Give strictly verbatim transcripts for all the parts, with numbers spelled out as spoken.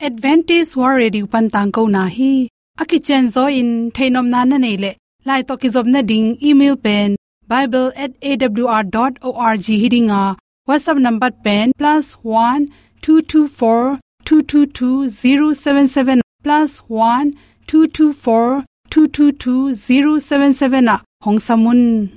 Adventist World Radio pan tangkona hi. A kicianzaw in theihnopna na neih leh, lai tawh kizopna ding email pen bible at A W R dot org hi ding a, WhatsApp number pen plus one two two four two two two zero seven seven, plus one two two four two two two zero seven seven ah hong sam un.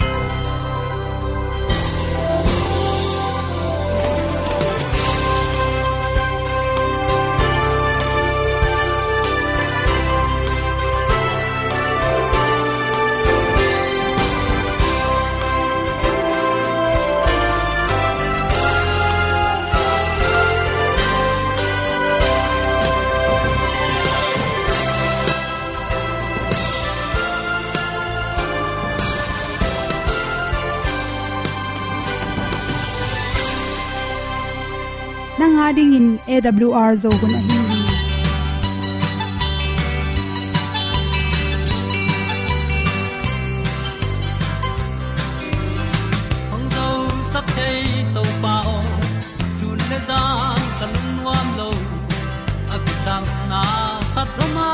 Nang a dingin A W R Zo hun ahi hi. Hong zosak thei Topa aw, sun le zan ka lungnuam lo. A kisangna khat om a,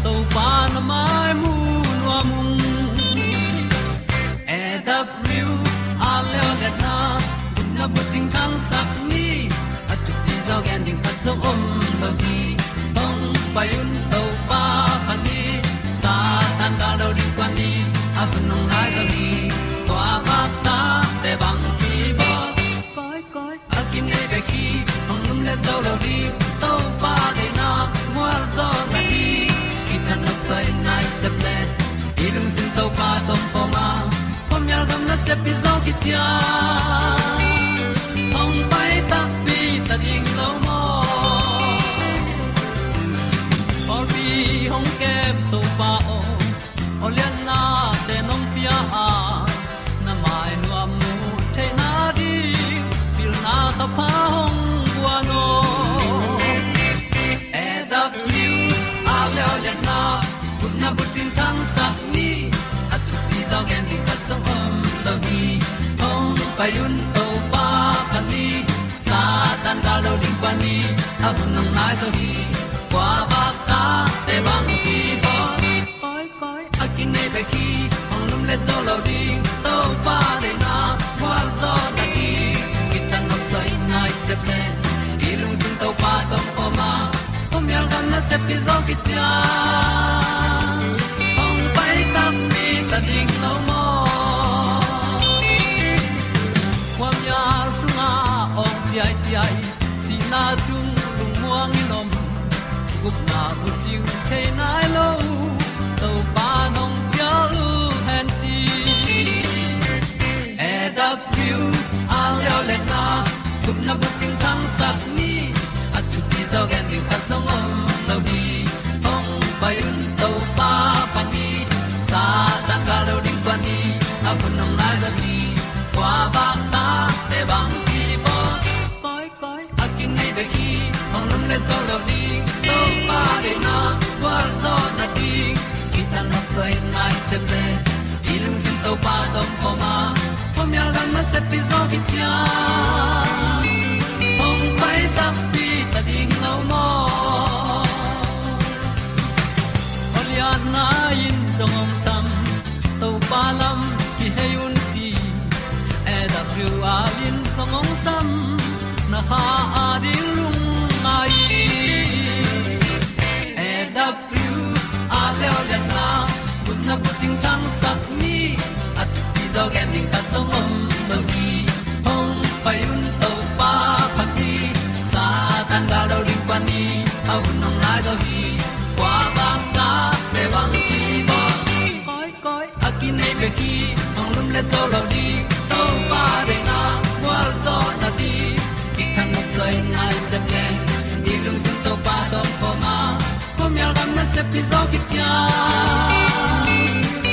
Topa na mai mu nuam ung. A W R Zo letna, na bucing khangsak ni. A thupi zaw gen ding khat zong om lo hi. Hong pai un Topa pha ni. Satan gal lo ding kua ni. A hun hong nai zaw hi. Kua bak ta te bang ki bawl. Koi, koi, a kinei bek hi, hong lumlet zo lo ding. Topa deihna mual zaw na hi. Kithat nopsai nai sep le, i lungsim Topa tawh om khawm a, khuamial gam nasep hi zaw kician. Hong pai takpi ta ding lo maw? Pawlpi hong kem Topa aw, aw lianna te nong pia a, na mai nuam mu theihna ding, pilna ka pha hong guan aw. A W R Zo letna, gupna bucing khangsak ni. A thupi zaw gen ding khat zong om lo hi. Hong pai un Topa pha ni. Satan gal lo ding kua ni. A hun hong nai zaw hi. Kua bak ta te bang ki bawl. Koi, koi, a kinei bek hi, hong lumlet zo lo ding. Topa deihna mual zaw na hi. Kithat nopsai nai sep le, i lungsim Topa tawh om khawm a, khuamial gam nasep hi zaw kician. Hong pai takpi ta ding lo maw? Khuamial sungah awng ciaiciai, sihna sung lungmuang in om, gupna bucing thei nai lo, Topa nong cial hen ci. A W R Zo letna, gupna bucing khangsak ni. A thupi zaw gen ding khat zong om lo hi. Hong pai un Topa pha ni. Satan gal lo ding kua ni. A hun hong nai zaw hi. Kua bak ta te bang ki bawl. Koi, koi, a kinei bek hi, hong lumlet zo lo ding. Topa deihna gualzawhna ding, kithat nopsai nai sep le, i lungsim Topa tawh om khawm a, khuamial gam nasep hi zaw kician. Hong pai takpi ta ding lo maw? Aw lianna in zong hong sam, Topa lam kihei un ci. A W R in zong hong sam, na kha a ding lungngai. A W R Zo letna, gupna bucing thangsak ni. A thupi zaw gen ding khat zong om lo hi. Hong pai un Topa pha ni. Satan gal lo ding kua ni. A hun hong nai zaw hi. Kua bang ta pe bang ki bawl. Koi, koi, a kinei bek hi, hong lumlet zo lo ding. Topa deihna gualzawhna ding, kithat nopsai nai sep le, i lungsim Topa tawh om khawm a, khuamial gam nasep hi zaw kician.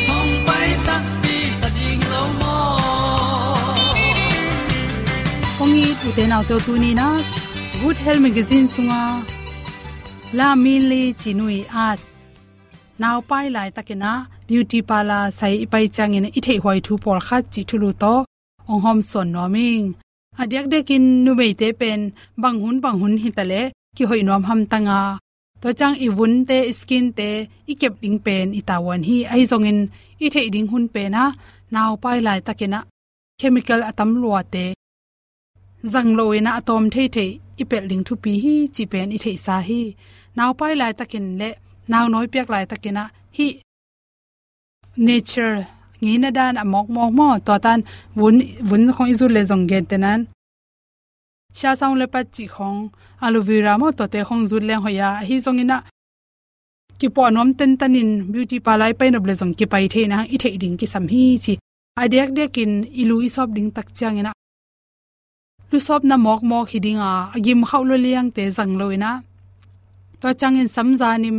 Hong pai takpi ta ding lo maw? Kong it u te nau te, tuni in ah Good Health Magazine sungah La Min Li Cinu ii at, naupai laitakin ah beauty parlour sai i pai ciangin i theihhuai thu pawlkhat cih thulu tawh hong hawmsawn nuam ing. A diakdiakin numeite pen bang hun bang hun hi ta leh kihoih nuam hamtang a, tua ciang i vunte, i skinte i kep ding pen i tavuan hi. Ahi zongin i theih ding hun pen ah, naupai laitakin ah chemical a tam luate zang lo in ah a tawm theithei i pelh ding thupi hi cih pen i theihsa hi. Naupai laitakin le naunawi piak laitakin ah hih nature ngeina dan a mawkmawk maw, tua tan vun, vun khong i zut le zong gentehna-in shea sound leopard cih khong, aloe vera maw, tuate khong zut leng hoih a, ahi zongin ah kipuah nuam tentan in beauty parlour i pai nop le zong kipai thei in ah i theih ding kisam hi ci. A diakdiakin i lu i sawp ding tak ciangin ah lusawpna mawkmawk hi ding a, a gim khauh lua liangte zang lo in ah, tua ciangin samza nim,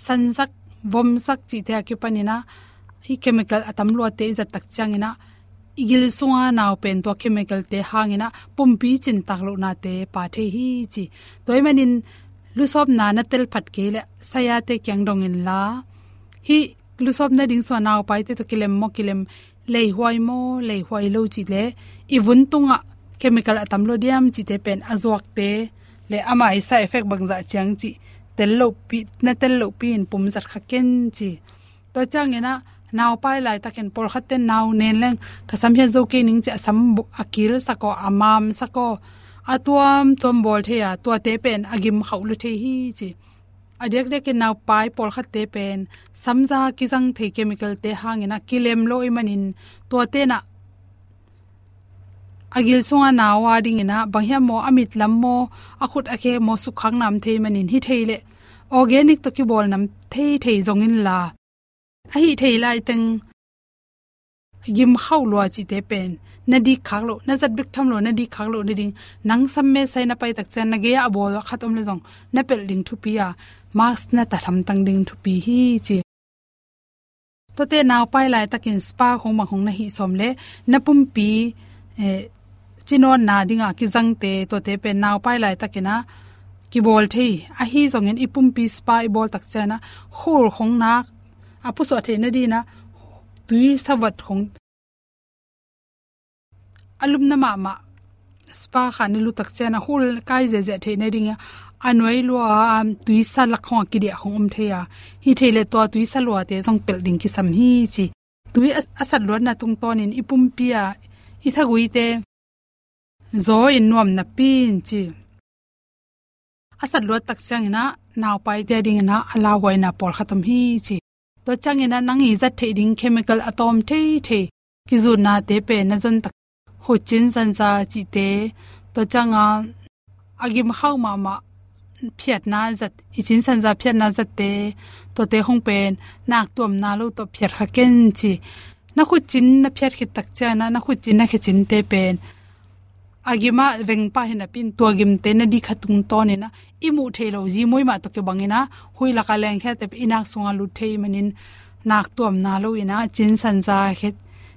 sansak, vomsak cihte a kipan in ah hih chemical a tam luate i zat tak ciangin ah i gil sunga nau pen tua chemical-te hangin ah pumpi cintak lohnate pha thei hi ci. Tua ahih manin lusawpna na tel phat kei leh sayate kiang dong inla, hih lusawpna ding sungah naupaite tawh kilem maw, kilem, leihuai maw, leihuai lo cih le, i vun tungah chemical a tam lua diam cihte pen a zuakte le amah i side effect bangzah ciang cih tel lohpi, na tel lohpi in pum zat kha ken ci. Tua ciangin ah naupai laitakin pawlkhatte nau nen leng ka sam hiat zo kei ning ci a sam bu-, a kilsak aw, a mamsak aw, a tuamtuam bawl thei a, tuate pen a gim khauh lua thei hi ci. A diakdiakin naupai pawlkhatte pen samza kizang thei chemical-te hangin ah kilem lo ahih manin tuate in ah a gil sunga nau a dingin ah bang hiam maw, a mit lam maw, a khut a khe maw, sukkhak nam thei manin, hi thei leh organic tawh kibawl nam thei thei zong inla, a hih thei laiteng gim khauh lua cihte pen na dik khak loh, na zat bek tham lo, na dik khak loh nading, nang sam mesai na pai tak ciang na gei-ah a bawl khat om le zong na pelh ding thupi a, mask na tat hamtang ding thupi hi ci. Tuate naupai laitakin spa khong bang khong na hih sawm leh na pumpi, eh, cinawtna dinga kizangte, tuate pen naupai laitakin ah kibawl thei. Ahi zongin i pumpi spa i bawl tak ciangin ah khul khong nak, a pusuah theih nadingin ah tuisa vat khong, a lumna mahmah spa kha na lut tak ciangin ah khul kai ziahziah theih nadingin a nuai lua, um, tuisa lak khong a kidiah khong om thei a, hi thei leh tua tuisa luate zong pelh ding kisam hi ci. Tui a, a sat luatna tungtawnin i pumpi a, i thaguite zaw in nuam napi-in ci. A sat luat tak ciangin ah naupaite a dingin ah a lauhuaina pawlkhat om hi ci. Tua ciangin ah nang i zat theih ding chemical a tawm theithei kizutnate pen na zon tak, khut cin sanza cihte, tua ciangin a gim khauh mahmah phiatna zat, i cin sanza phiatna zatte, tuate khong pen nak tuamna lo tawh phiat kha ken ci. Na khut cin na phiat khit tak ciangin ah na khut cin na khe cinte pen a gim ah veng pah hi napi-in tua gimte na dik kha tungtawnin ah i muh theih loh zimuai mah tawh kibangin ah huih lak a lengkhiate pen i nak sungah lut thei manin nak tuamna lo in ah cin sanza khe,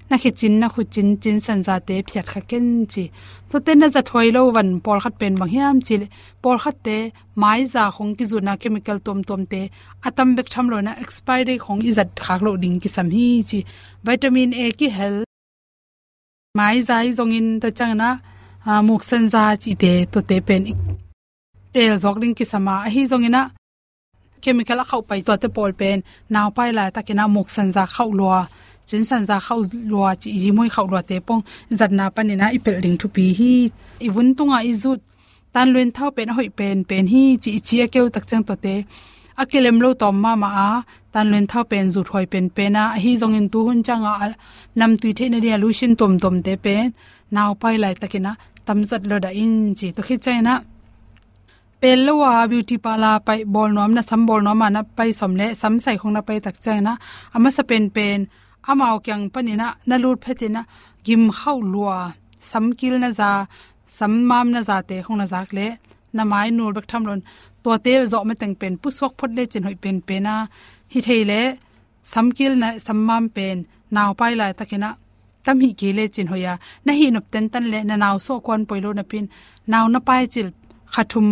na khe cin, na khut cin, cin sanzate phiat kha ken ci. Tuate na zat huai lo van pawlkhat pen bang hiam cih leh pawlkhatte maiza khong kizutna chemical tuamtuamte a tam bek tham lo in ah expiry khong i zat khak loh ding kisam hi ci. Vitamin A kihel maiza hi zongin, tua ciangin ah, ah, muk sanza cihte, tuate pen i teel zawk ding kisam a, ahi zongin ah chemical a khauh pai tuate pawl pen naupai laitakin ah muk sanza khauh lua, cin sanza khauh lua cih, zimuai khauh luate pong zatna panin ah i pelh ding thupi hi. I vun tungah i zut tanluin thau pen a hoih penpen hi ci, i ci a keu tak ciang tuate a kilem lo tawm mahmah a, tanluin thau pen zut huai penpen a, ahi zongin tuhun ciangah a namtui theih nading a lotion tuamtuamte pen naupai laitakin ah tamzat lo dah in ci. Tua khit ciangin ah pel lo a beauty parlour pai bawl nuam, na sam bawl nuam a na pai sawm leh sam sai khong na pai tak ciangin ah a masa penpen amau kiang panin ah na lut phetin ah gim khauh lua, samkil na za, sammam na zate khong na zak leh na mai nul bek tham lo in tuate zawh mateng pen pusuak phot lecin hoih penpen a, hi thei leh samkil na sammam pen naupai laitakin ah tam hih kei lecin hoih a, na hih nop tentan leh na nau suah kuan poi lo napi-in nau na pai cil kha thum,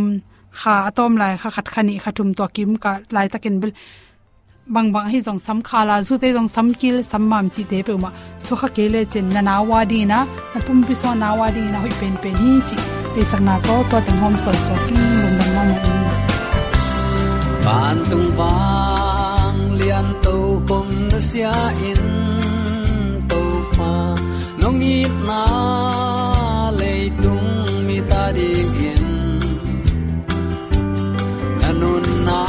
kha a tawm lai kha khat, kha nih, kha thum, tua kim ka laitakin bel bangbang ahi zong sam kha la, zute zong samkil sammam cihte peuhmah suah kha kei lecin na nau a dingin ah, na pumpi sungah nau a dingin ah hoih penpen hi cih theihsakna tawh tua teng hawm suansuak ing. Lungdam mahmah ing. Tungvang lian tokhom nusia in, Topa nong itna leitung mite adingin na nunna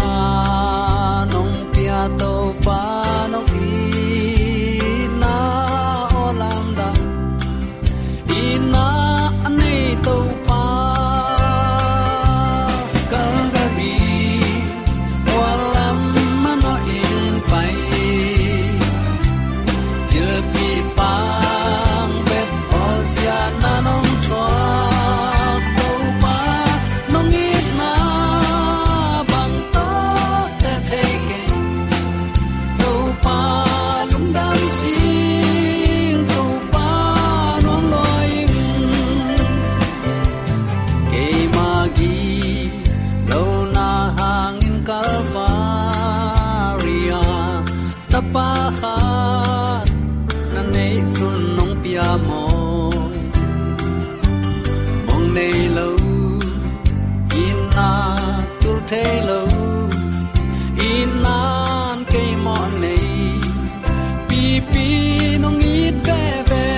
nong pia, Topa nong itna aw lamdang. Itna a nei Topa, Calvary mual lam manawh in pai. Thilpih pang bet bawlsiatna nong thuak, Topa nong itna bang tawh teh thei keng. Topa lungdam sing, Topa nuam lua ing. Keima gilo na hangin Calvary ah Tapa khat na neih sun nong pia maw? Mong nei lo, itna tul thei lo, itna in kei mawh nei, pipi nong it veve.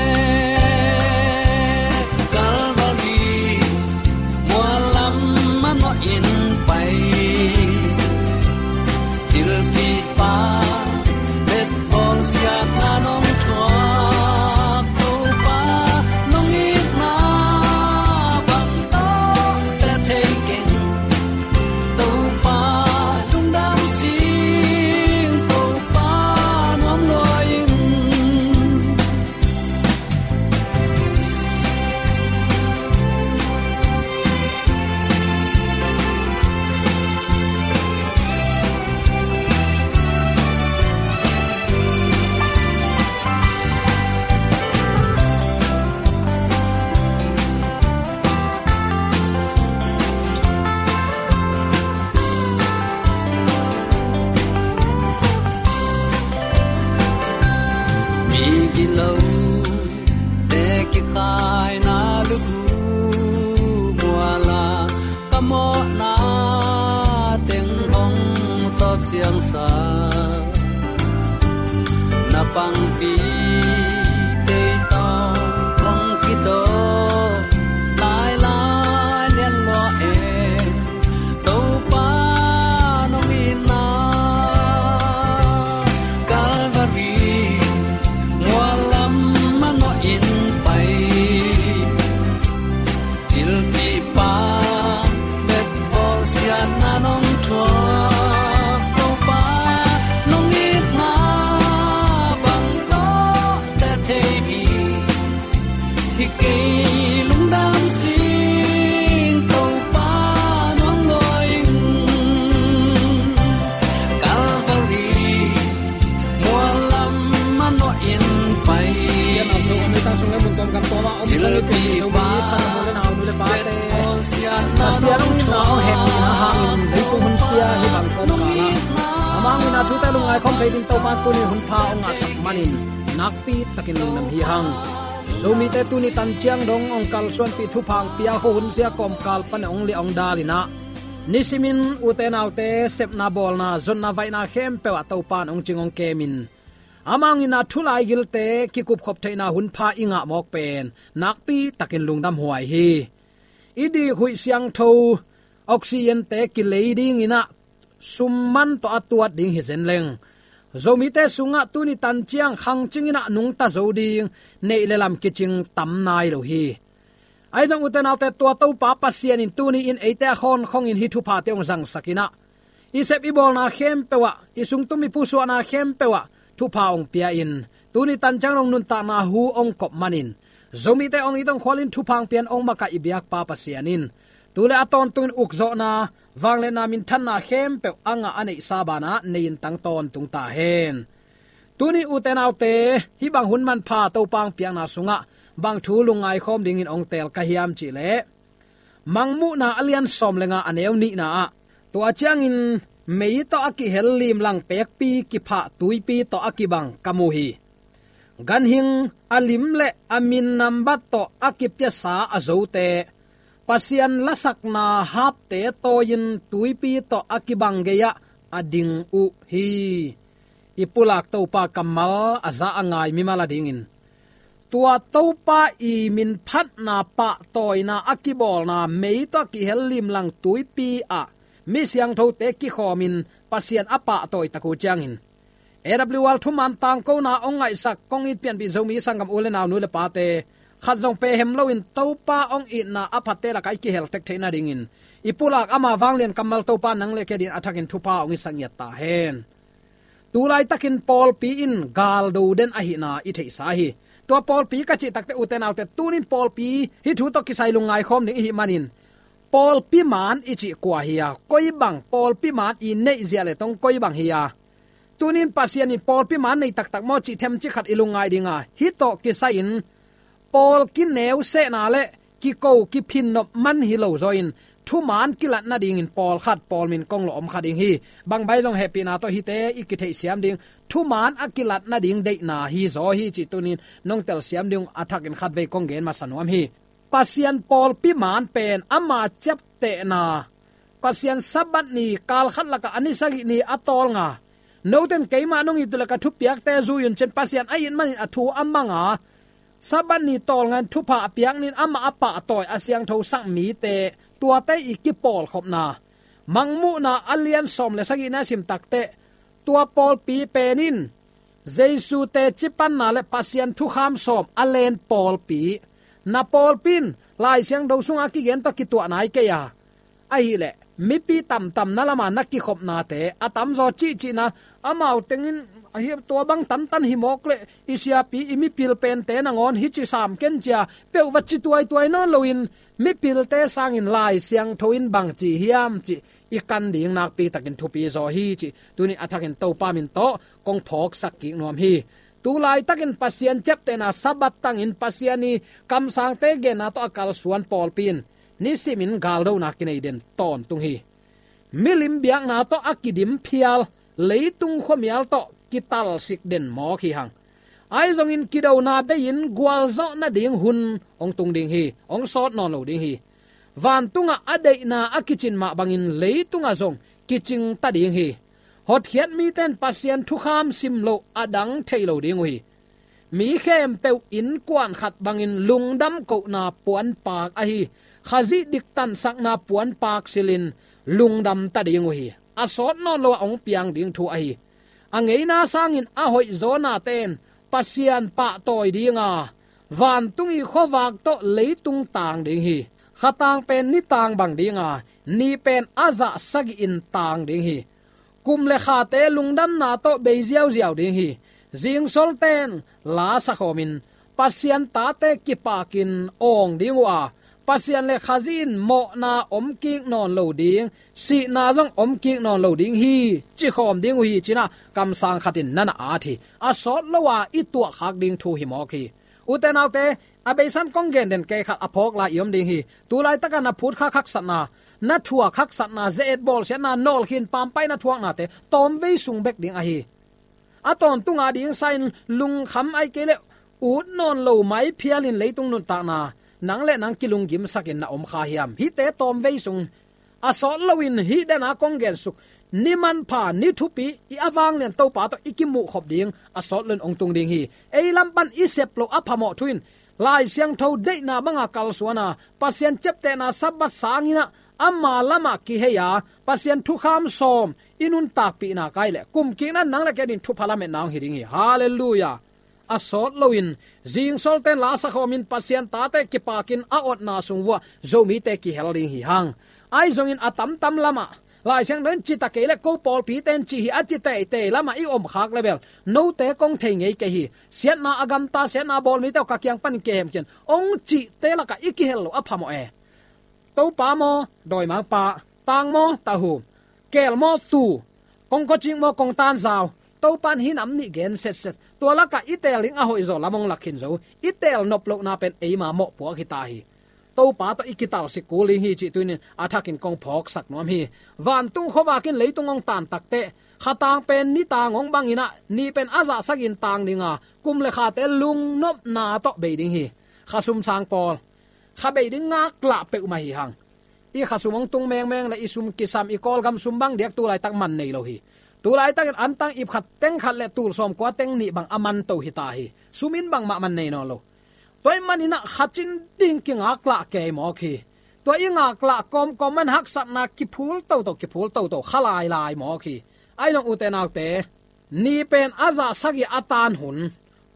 Calvary mual lam manawh in pai. Thilpih pang bet bawlsiatna nong thuak, Topa nong itna bang tawh teh thei keng. Topa lungdam sing, Topa nuam lua ing. Migilote kikhaina lukhu mual ah ka mawhna teng hong sawp siangsak. Na pangpi tei tawh hong kitawh lailai lian lua e. Topa nong itna Calvary mual lam manawh in pai. Thilpih pang bet bawlsiatna nong thuak, Topa nong itna bang tawh teh thei mi hi kei, lungdam sing, Topa nuam lua ing. Calvary mual lam manawh in pai. Thilpih pang bet bawlsiatna nong thuak, Topa nong itna bang tawh teh thei mi hi kei, lungdam sing, Topa nuam lua ing. Calvary mual lam manawh in pai. Pasian hong itna hong hemna hangin leitungah hun sia hih bang kawmkal ah amah hong itna thute lungngai khawm thei ding Topa tuni hun pha hong ngahsak manin nakpi takin lungdam hi hang. Zomite tuni tan ciang dong hong kalsuanpih thupha hong pia khuahun sia kawmkal pan hong liah hong dal in ah, nisimin ute naute sepna bawlna zonna vaihna khempeuh ah Topa in hong cing hong kemin, amah hong itna thu laigilte kikupkhop theihna hun pha i ngah mawk pen nakpi takin lungdam huai hi. I dik huih siangtho oxygen-te kilei dingin ah summan tawh a tuat ding hi zen leng, Zomite sungah tuni tan ciang khangcing in ah nungta zo ding neih le lam kicing tam nai lo hi. Ahi zong ute naute, tua Topa Pasian in tuni in eite a khawnkhongin hih thuphate hong zangsak in ah, i sep i bawlna khempeuh ah, i sungtum i pusuahna khempeuh ah thupha hong pia in, tuni tan ciang dong nuntakna hu hong kop manin, Zomite hong it hong khualin thupha hong pian hong makaih i biakpa Pasian in tu le a tawntungin ukzawhna, vangliatna, minthanna khempeuh a ngah a neihsa banah nei-in tang tawntung ta hen. Tuni ute naute, hih bang hun manpha Topa hong piakna sungah bang thu lungngai khawm dingin hong teel ka hiam cih leh, Mangmuhna a lian sawm le nga a neu nihna ah, tua ciangin mei tawh a kihel limlang pekpi kiphah tuipi tawh a kibang ka mu hi. Ganhing a lim le a min nambat tawh a kipiasa a zote, Pasian lasakna hapte tawi-in tuipi tawh a kibang gei-ah a ding uh hi. I pulak Topa kammal a za a ngai mimal a dingin, tua Topa i minphatna pahtawina a kibawlna mei tawh a kihel limlang tuipi ah mi siangthote kikhawmin Pasian a pahtawi tak uh ciangin, A W R thuman tangkona hong ngaihsak kong it pianpih Zomi sanggam u le nau, nu le pate, khat zong pehem loin Topa hong itna a phatte lakah i kihel tek theih nadingin, i pulak ama vanglian kammal Topa nang le kei adingin a thakin thupha hong hisak ngiat ta hen. Tu laitakin pawlpi in galdo den ahihna i theihsa hi. Tua pawlpi ka cih takte, ute naute, tunin pawlpi hih thu tawh kisai lungngai khawm ding i hih manin, pawlpi maan i cih kua hi a, koi bang pawlpi maan i neih zia le tong koi bang hi a, tunin Pasian in pawlpi maan nei taktak maw cih themcik khat i lungngai ding a, hih tawh kisai-in pawl kineu sehna le kiko kiphinnop man hi lo zaw in, thumaan kilat nadingin pawlkhat, pawl min kong lawh om kha ding hi. Bang bai zong hehpihna tawh hihte i kitheihsiam ding, thumaan a kilat nading deihna hi zaw hi cih tunin nong telsiam ding uh a thakin khatvei kong gen masa nuam hi. Pasian pawlpi maan pen ama ciaptehna, Pasian Sabbath ni kalkhat lakah a ni sagih ni a tawlnga, noten keimah nong it uh leh ka thupiakte zui un cin, Pasian a it manin a thu a manga, Sabbath ni tawlnga in thupha a piak ni-in amah a pahtawi a siangthosak mite, tuate i kipawlkhopna, Mangmuhna a lian sawm le sagihna i sim takteh, tua pawlpi pen in Jesu teci panna le Pasian thukham sawm a len pawlpi, na pawlpi in Lai Siangtho sunga kigen tawh kituah nai kei a, ahih leh mipi tamtamna lama na kikhopnate a tamzaw cihcihna, amau tengin ahi tua bang tantan hi mawk leh i siapi i mipil pente nangawn hih ci sam ken cia peuh va ci tuaituai nawn loin, mipilte sangin Lai Siangtho in bang ci hiam cih i kan ding nakpi takin thupi zaw hi cih tuni a thakin Topa min tawh kong phawksak kik nuam hi. Tu laitakin Pasian ciaptehna Sabbath tangin Pasian i kamsangte genna tawh a kalsuan pawlpi in nisimin galdona kinei den tawntung hi. Milim biakna tawh a kidim phial, leitung khuamial tawh kitalsik den mawk hi hang. Ahi zongin kidona bei-in gualzawh nading hun hong tung ding hi, hong sawt nawn lo ding hi. Vantungah a deihna a kicin mah bangin leitungah zong kicing ta ding hi. Hotkhiat mite in Pasian thukham sim loh a dang thei lo ding uh hi. Mi khempeuh innkuan khat bangin lungdam kohna puanpak ahi, Khazih diktansakna puanpak silhin lungdam ta ding uh hi. A sawt nawn lo a hong piang ding thu ahi. A ngeina sangin a hoihzaw nate in Pasian pahtawi dinga, vantung i khuavak tawh leitung tang ding hi. Kha tang pen ni tang bang dinga, ni pen a zah sagih in tang ding hi. Kum le khate lungdamna tawh bei ziauziau ding hi. Zingsolte in la sakhawmin Pasian tate kipakin awng ding uh a, Pasian le Khazih in mawhna om kik nawn lo ding, sihna zong om kik nawn lo ding hi, cikhawm ding uh hi, ci-in ah kamsang khat in na na at hi. A sawt lo a i tuahkhak ding thu hi mawk hi. Ute naute, a beisan kong gen den kei khat a phawk lai i om ding hi. Tu laitaka na phutkhak haksatna, na thuak haksatna, ze-et bawlsiatna, nawlkhin pampaihna thuaknate tawmvei sung bek ding ahi. A tawntunga ding sa-in lungkham ahih kei leh ut nawn lo mai phialin leitung nuntakna nang le nang kilunggimsakin na om kha hiam? Hihte tawmvei sung a sawt loin hih dena kong gensuk ni manpha, ni thupi, i a vanglian Topa tawh i kimuhkhop ding a sawt loin hong tung ding hi. Ei lam pan i sep loh a phamawh thu in Lai Siangtho deihna banga kalsuana, Pasian ciaptehna Sabbath sangin ah ama lamah kihei a, Pasian thukham sawm i nuntakpihna kai leh kumkikna nang le kei adingin thupha lametna hong hi ding hi. Halleluiah. A sawt loin zingsolte in la sakhawmin Pasian tate kipakin a otna sung vuah Zomite kihel ding hi hang. Ahi zongin a tamtam lamah Lai Siangtho in ci ta kei leh ko pawlpite in ci hi a ci teitei lamah i omkhak leh bel note kong thei ngei kei hi. Siatna a gamta, siatna a bawl mite uh ka kiang panin kihemkhiat in hong cihte lakah i kihel loh a phamawh e. Topa maw, dawimangpa, tang maw, tahu, keel maw, tu, kongkhawcik maw, kongtanzau, Topa in hih nam nih gen setset. Tua lakah i teel ding a hoihzaw lam hong lak khin zo. I teel nop lohna pen eima mawhpuak hi ta hi. Topa tawh i kitalsik kul ding hi cih tuni-in a thakin kong phawksak nuam hi. Vantung khuavak in leitung hong tan takteh, kha tang pen ni tang hong bangin ah, ni pen a zah sagih in tang dinga, kum le khate lungnopna tawh bei ding hi. Kha sum sang pawl, kha bei ding ngaklah peuhmah hi hang. I khasum hong tung mengmeng le i sum kisam, i Kawlgam sum bang diak tu laitak man nei lo hi. Tu laitakin antang ip khat teng khat le tul sawmkua teng nih bang a man to hi ta hi. Sum in bangmah man nei nawn lo. Tua ahih manin ah kha cin ding kingaklah kei mawk hi. Tua i ngaklah kawmkawm man haksatna kiphul toto, kiphul toto, kha lailai mawk hi. Ahi zong ute naute, ni pen a zah sagih a tan hun,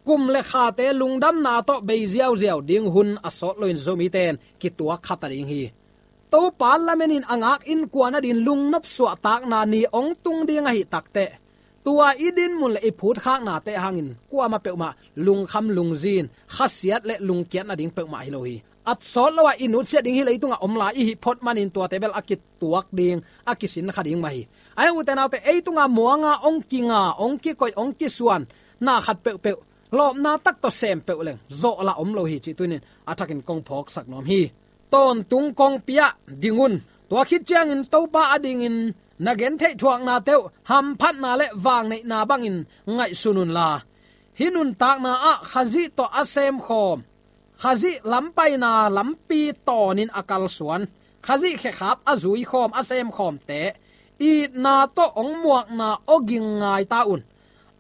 kum le khate lungdamna tawh bei ziauziau ding hun a sawt loin Zomite in kituak kha ta ding hi. Topa lamenin a ngak innkuan adingin lungnop suahtakna ni hong tung ding ahih takteh, tua i dinmun le i phutkhaknate hangin kuamah peuhmah lungkham lungzin, khasiat le lungkiat nading peuhmah hi lo hi. A sawt lo-a i nutsiat ding hi leitungah om lai i hih phot manin tuate bel a kituak ding, a kisin kha ding mah hi. Ahi zong ute naute, ei tungah muanga hong kinga, hong kikoih, hong kisuan na khat peuhpeuh lawpna tak tawh sem peuh leng zawhlah om lo hi cih tuni-in a thakin kong phawksak nuam hi. Tawntung kong piak ding un. Tua khit ciangin Topa adingin na gentheih thuaknate uh hamphatna le vangneihna bangin ngaihsun unla, hih nuntakna ah Khazih tawh a semkhawm, Khazih lampaina lampi tawnin a kalsuan, Khazih khekhap a zuikhawm, a semkhawmte itna tawh hong muakna awging ngai ta un.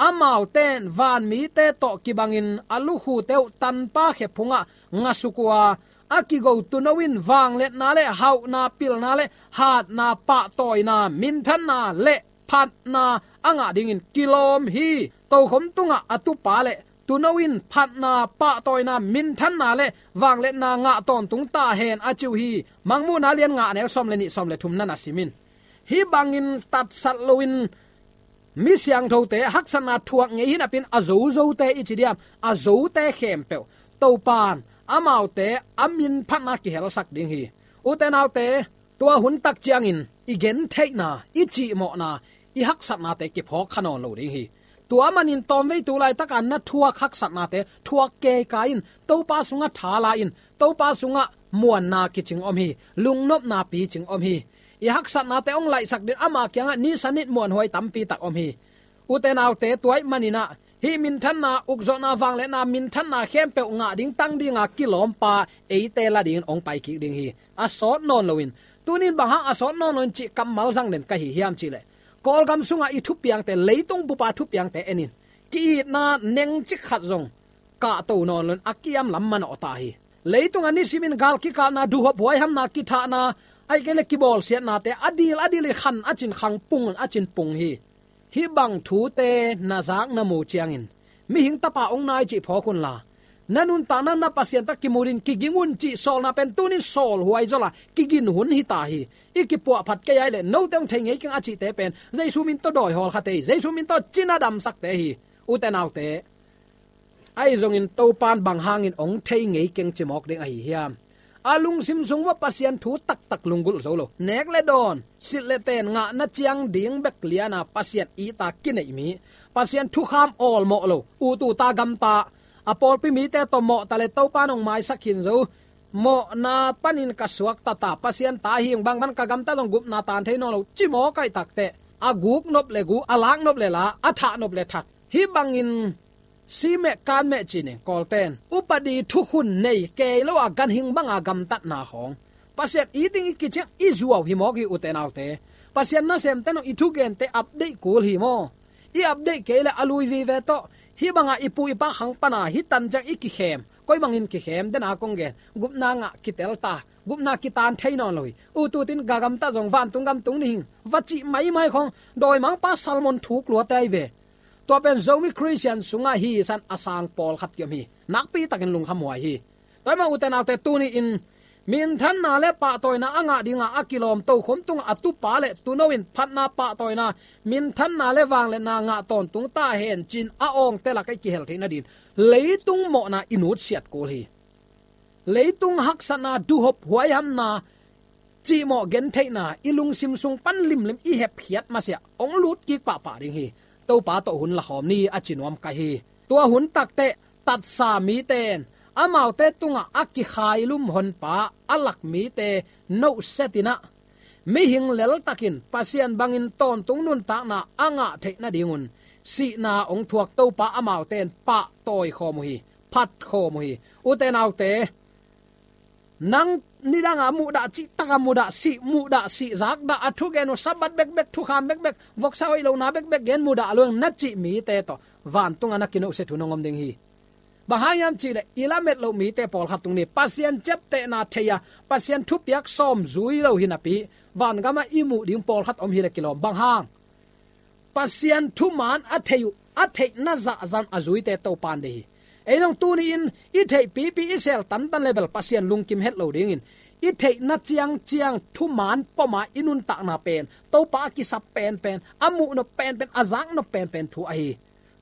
Amaute in vanmite tawh kibangin a lukhute uh tanpa khe phungah ngasuk uh a, a kigo tuuno in vangliatna le hauhna, pilna le hatna, pahtawina, minthanna le phatna a ngah dingin kilawm hi. Tokhom tungah a tupa le tuuno in phatna, pahtawina, minthanna le vangliatna ngah tawntung ta hen a ci uh hi. Mangmuhna lian nga, a neu sawm le nih, sawm le thum na na sim in. Hih bangin tatsat loin mi siangthote haksatna thuak ngei hi napi-in a zozote i ci diam, a zote khempeuh Topa in amaute a min phatna kihelsak ding hi. Ute naute, tua hun tak ciangin i gentheihna, i cihmawhna, i haksatnate kiphawk kha nawn lo ding hi. Tua manin tawmvei tu laitaka na thuak haksatnate thuak kei kai in, Topa sungah tha la in, Topa sungah muanna kicing om hi, lungnopna picing om hi. I haksatnate hong laihsak dingin ama kiangah nisanit muanhuai tampi tak om hi. Ute naute, tua ahih manin ah hih minthanna, ukzawhna, vangliatna, minthanna khempeuh ngah ding, tang dinga kilawmpa eite la dingin hong pai kik ding hi. A sawt nawn loin, tuni-in bang hang a sawt nawn loin cih kammal zang den ka hi hiam cih leh, Kawlgam sungah i thupiangte, leitung bupa thupiangte en in. Ki-itna nengcik khat zong kahto nawn loin a kiam lam manawh ta hi. Leitungah nisimin gal kikalna, duhhop huaihamna, kithahna, ahih kei leh kibawlsiatnate a dil a dil in khan a cin khang, pung a cin pung hi. Hih bang thute na zak na mu ciangin, mihing tapa hong nai cih phawk unla, na nuntakna na Pasian tawh kimu dingin kiging un cih sawlna pen tuni-in sawl huai zawla kigin hun hi ta hi. I kipuahphat kei a hih leh note hong thei ngei keng a cihte pen Jesu min tawh dawi hawlkhate hi, Jesu min tawh cina damsakte hi. Ute naute, ahi zongin Topa in bang hangin hong thei ngei keng ci mawk ding ahi hiam? A lungsim sung uah Pasian thu taktak lunggulh zo lo. Nek le dawn, silh le ten ngahna ciang ding bek liana Pasian it a kineih mi, Pasian thukham awlmawh lo, ut ut a gamta, a pawlpi mite tawh mawhta le Topa in hong maisak khin zo. Mawhna panin ka suakta ta, Pasian ta hi ing, bangban ka gamta zong gupna taan thei nawn lo ci mawk ahih takteh, a guk nop le gu, a lak nop le la, a thah nop le that, hih bangin si meh kan meh ci-in Kawlte in upadi thukhun nei kei lo a ganhing banga gamtatna khawng, Pasian it ding i kiciang i zuau hi mawk hi, ute naute. Pasian nasemte in i thugente update kul hi maw? I update kei leh a lui vive tawh, hih banga i pu i pa khang pana hih tan ciang i kikhem, koi bangin kikhem, den a kong gen, gupna ngah kitel ta, gupna kitaan thei nawn lo hi. Ut ut in ka gamta zong vantung gam tung ding hi ing, va cih maimai khawng, dawimangpa Solomon thuk luate ahi ve. Tua pen Zomi Khristian sungah hi san a sang pawlkhat kiom hi. Nakpi takin lungkham huai hi. Tua ahih manin ute naute, tuni-in minthanna le pahtawina a ngah dinga a kilawm, tokhom tungah a tupa le tuuno in phatna, pahtawina, minthanna le vangliatna ngah tawntung ta hen ci-in a awngte lakah i kihel theih nadingin leitung mawhna i nutsiat kul hi. Leitung haksatna, duhhop huaihamna, cihmawh gentheihna i lungsim sung pan limlim i hepkhiat masiah hong lut kik pahpah ding hi. Topa tawh hun lakhawm ni, a ci nuam ka hi. Tua hun takteh tatsa mite in amaute tungah a kikhailum Honpa a lak mite nohsetin ah, mihing leltakin Pasian bangin tawntung nuntakna a ngah theih nadingun sihna hong thuak Topa amaute in pahtawi khawm uh hi, phat khawm uh hi. Ute naute, nang nidang a muhdah, cih tak a muhdah, sih muhdah, sih zakdah, a thugen uh Sabbath bekbek, thukham bekbek, voksa hoih lohna bekbek gen muhdah lo ing na cih mite tawh vantung a na kinohsiat hun hong om ding hi. Bang hang hiam cih leh i lamet loh mite pawlkhat tung ni, Pasian ciaptehna thei a, Pasian thupiak sawm zui lo hi napi, vangam ah i muh ding pawlkhat om hi leh kilawm. Bang hang? Pasian thuman a thei uh, a theihna zahzah a zuite Topa'n deih hi. Ei zong tuni-in i theihpipi, i sel tantan leh bel Pasian lungkim het lo dingin, i theihna ciangciang thuman pom a i nuntakna pen Topa a kisap penpen, a muh nop penpen, a zak nop penpen thu ahi.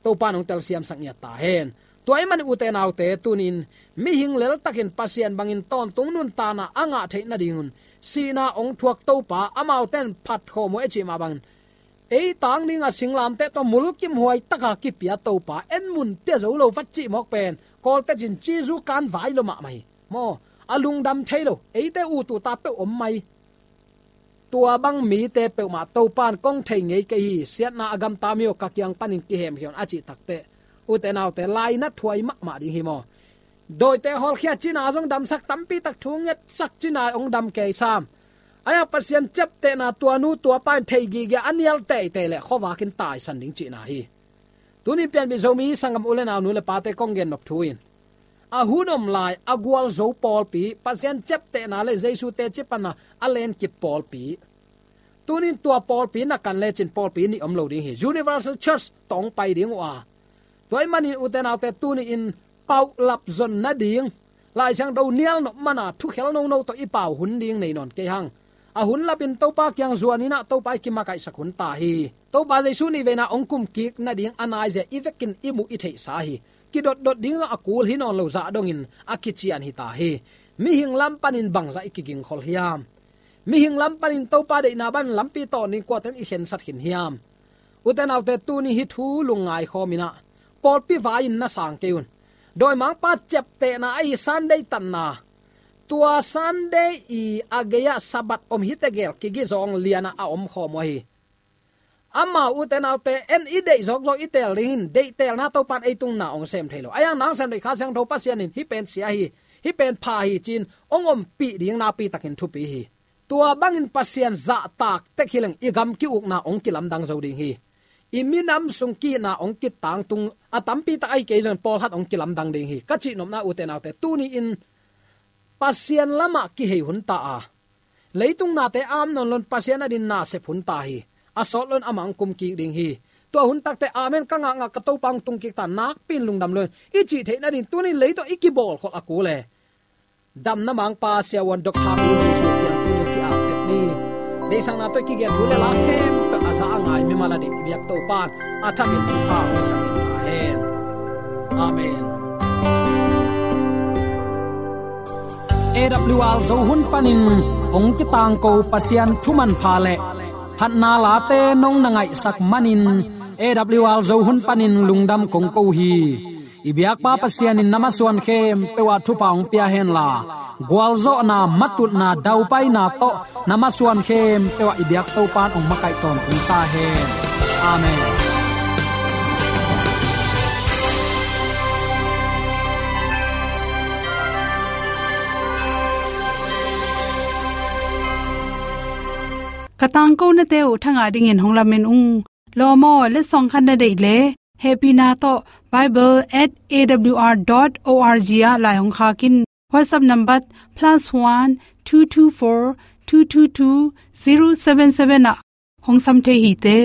Topa'n hong telsiamsak ngiat ta hen. Tua ahih manin ute naute, tuni-in mihing leltakin Pasian bangin tawntung nuntakna a ngah theih nadingun sihna hong thuak Topa, amaute'n phat khawm uh e cih mah bangin, ei tang ding a singlamteh tawh mulkimhuai taka kipia Topa, en mun pia zo lo vat cih mawk pen, Kawlte'n Jesu kan vai lo mahmah hi. Maw, a lungdam thei lo, eite ut uh ta peuh om mai. Tua bang mite peuhmah Topa'n kong thei ngei kei hi, siatna a gamta mi aw, ka kiang panin kihemkhia un a cih takteh, ute naute, lainat thuai mahmah ding hi maw. Dawite hawlkhia cihna zong damsak, tampi tak thu ngetsak cihna hong dam kei sam. Ahi hang Pasian ciaptehna tua nu tua pa'n thei gige a nial teitei leh khuavak in taisan ding cihna hi. Tuni-in pianpih Zomi sanggam u leh nau, nu leh pate kong gen nop thu in, a hun om lai a gualzo pawlpi, Pasian ciaptehna leh Jesu teci panna a lenkip pawlpi. Tuni-in tua pawlpi na kan lecin pawlpi nih om lo ding hi. Universal Church tawh hong pai ding uh a, tua ahih manin ute naute, tuni-in paulap zon nading, Lai Siangtho nial nop man a thukhel nono tawh i pau hun ding nei nawn kei hang. A hun lapin Topa kiang zuan in ah Topa i kimakaihsak hun ta hi. Topa Jesu nih veina hong kumkik nading a naizia i vekin i muh i theihsa hi. Kidotdot ding zong a kul hi nawn lo zah dongin a kician hi ta hi. Mihing lam panin bangzah i kigingkhol hiam? Mihing lam panin Topa deihna bang lampi tawn ding kuate'n i khensat khin hiam? Ute naute, tuni hih thu lungngai khawm in ah, pawlpi vai-in na sang kei un. Dawimangpa ciaptehna ahi Sunday tanna, tua Sunday i a gei-ah Sabbath om hi tegel kigizawng lian ah a om khawm uh ahi. Amau, ute naute, en i deih zawkzawk i teel dingin, deihtelna Topa'n ei tung na hong sem thei lo. Ahi hang nang sem deih Kha Siangtho Pasian in hih pen sia hi, hih pen pha hi ci-in hong ompih ding nakpi takin thupi hi. Tua bangin Pasian zahtak tek hi leng i gam ki-ukna hong kilamdang zo ding hi. I minam sung ki-itna hong kitangtung, a tampi tak ahi kei zongin pawlkhat hong kilamdang ding hi. Ka cihnopna, ute naute, tuni-in Pasian lamah kihei hun ta a, leitung nate am nawn loin Pasian adingin na sep hun ta hi. A sawt loin amah hong kumkik ding hi. Tua hun takteh amen ka ngakngak, ka Topa hong tungkik ta, nakpi-in lungdam lo in i cih theih nading tuni-in lei tawh i kibawlkhol a kul e. Damna Mangpa Siavuan Doctor Pu Jesu kiang tuni-in ki-apteh ni. Deihsakna tawh i kigen thu leh la khempeuh a za a ngai mimal a deih i biak Topa'n a thakin thupha hong piaksak ta hen. Amen. A W R Zo hun panin hong kitangko Pasian thu manpha leh phatna late nong na ngaihsak manin A W R Zo hun panin lungdam kong ko hi. I biakpa Pasian in na masuan khempeuh ah thupha hong pia henla, gualzawhna, matutna, daupaina tawh na masuan khempeuh ah i biak Topa'n hong makaih tawntung ta hen. Amen. Ka tangkonate uh thangah dingin hong lamen ung. Lawm aw, letsong khat na deih leh, hehpihna tawh bible at A W R dot O R G ah lai hong khak in. WhatsApp number plus one two two four two two two zero seven seven ah hong sam thei hi te.